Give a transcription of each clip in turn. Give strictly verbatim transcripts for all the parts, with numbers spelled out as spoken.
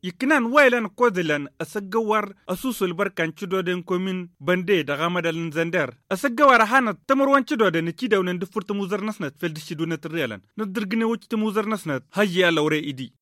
Iknan waylan kodelan a sagga war a suusu albarka nci do din komin bande da hamadal nzander. A sagga war a hana tamar wan ci do din ci da wani nda furta muzar nasnat fel da shi do na tirriyalan na dirgine wuci ta muzar nasnat. Hayya laure idi.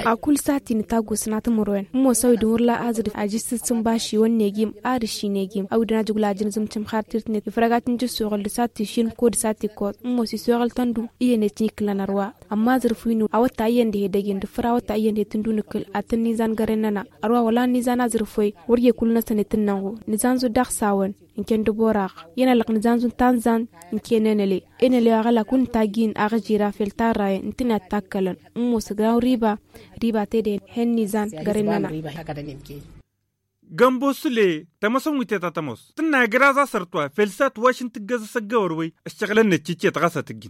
A kulu sati ni tagu sina tamar wan mo sawi da wurla azir a ji sissin bashi wan ne gim ari shi ne gim awi da na jugula jin zumcim har tirtine ifragatin ji sogal da sati shin ko da sati ko mo si sogal tandu. Iya ne cini kilanarwa amma zirfino a wata ayyan da hedagin da fura wata ayyan da tun duni kul a tun nizan garenana. Arwa wala nizan azirfoy warge kulu na sane tun nango nizan zu dak sawan. Nken da borak yana lak nizan zu tanzan. Nken enele enele agala kun tagin aga jira fel taraye ntina takkalan. Musa gran riba riba te da hen nizan garenana. Gambo sule tamason wite tatamos tun na gira za sartuwa felsat washin tigga za sagga warwai. Ashagalan na cici ta gasa tiggin.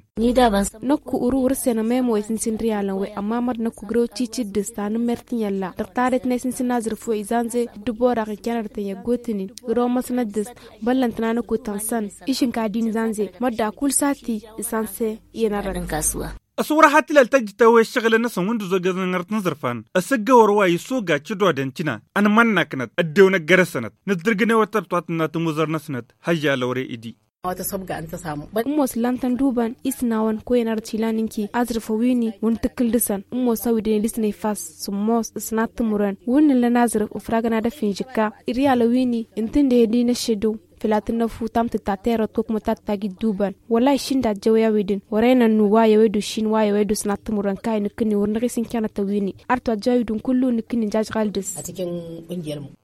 Nakku uru wuri se na memo ay sinsin riyalan wai amma mar nakku giro cici dista ni mertin yalla da tare tinai sinsin nazir fo izanze. Dubora ka kenar tan yaggotinin giro masna dis. Ballantana nakku tansan ishin ka dini zanze madda kul sati isanse. Yana ran kasuwa. A sawar hatilal ta jita wai shagala na san wanda zo ga zangar tun zarfan a sagga warwa yi so ga ci do dan cina. An manna kanat addew na gare sanat na dirgane watar twatun na tun wuzar na sanat. Hayya laure idi. Mos lantan duban isna wan koyana da tilaninki azir fawini wani tikkil disan. Mos sawi dine disanai fas sumos isna tumuran wani lanazir ufragana da finjika. Iriya lawini intin da ya dina shidu filatin na fu tamta tatera to kuma tatta gi duban. Wallahi shin da jawayawi din warai nan nu wayawai du shin wayawai du sina tumuran kai ni kini wurni gisin kyana ta wini. Arto jawi dun kullu ni kini jajgal dis.